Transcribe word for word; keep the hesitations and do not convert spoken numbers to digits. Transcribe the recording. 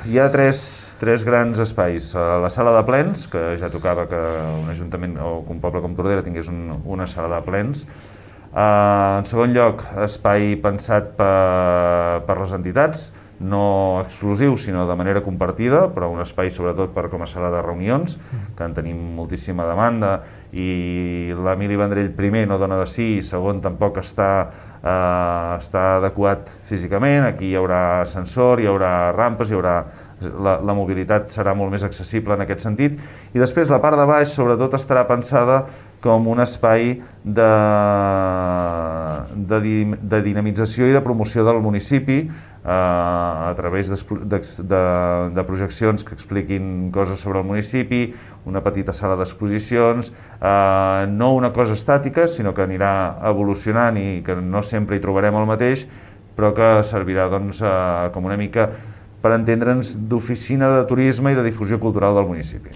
hi ha tres, tres grans espais. La sala de plens, que ja tocava que un ajuntament o que un poble com Tordera tingués un, una sala de plens. Uh, en segon lloc, espai pensat per, per les entitats, no exclusiu, sinó de manera compartida, però un espai sobretot per com a sala de reunions, que en tenim moltíssima demanda, i l'Emili Vendrell, primer, no dona de sí, i segon, tampoc està, eh, està adequat físicament. Aquí hi haurà ascensor, hi haurà rampes, hi haurà... La, la mobilitat serà molt més accessible en aquest sentit. I després la part de baix sobretot estarà pensada com un espai de, de, de dinamització i de promoció del municipi eh, a través de, de, de projeccions que expliquin coses sobre el municipi, una petita sala d'exposicions, eh, no una cosa estàtica, sinó que anirà evolucionant i que no sempre hi trobarem el mateix, però que servirà doncs, eh, com una mica per entendre'ns d'oficina de turisme i de difusió cultural del municipi.